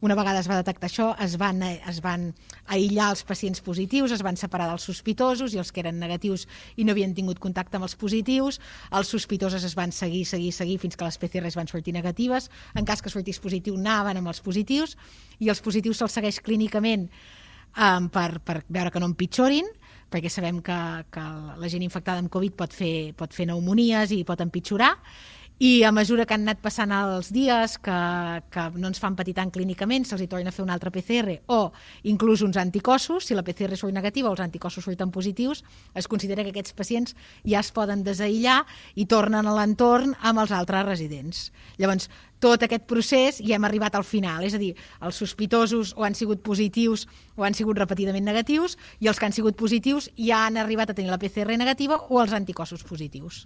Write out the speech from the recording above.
Una vegada es va detectar això, es van aïllar els pacients positius, es van separar dels sospitosos i els que eren negatius i no havien tingut contacte amb els positius. Els sospitosos es van seguir fins que les PCRs van sortir negatives. En cas que sortís positiu, anaven amb els positius, i els positius se'ls segueix clínicament per veure que no empitjorin, perquè sabem que la gent infectada amb Covid pot fer pneumonies i pot empitjorar. I a mesura que han anat passant els dies, que no ens fan patir tant clínicament, se'ls torna a fer una altra PCR o inclús uns anticossos. Si la PCR surt negativa o els anticossos surten positius, es considera que aquests pacients ja es poden desaïllar i tornen a l'entorn amb els altres residents. Llavors, tot aquest procés ja hem arribat al final, és a dir, els sospitosos o han sigut positius o han sigut repetidament negatius, i els que han sigut positius ja han arribat a tenir la PCR negativa o els anticossos positius.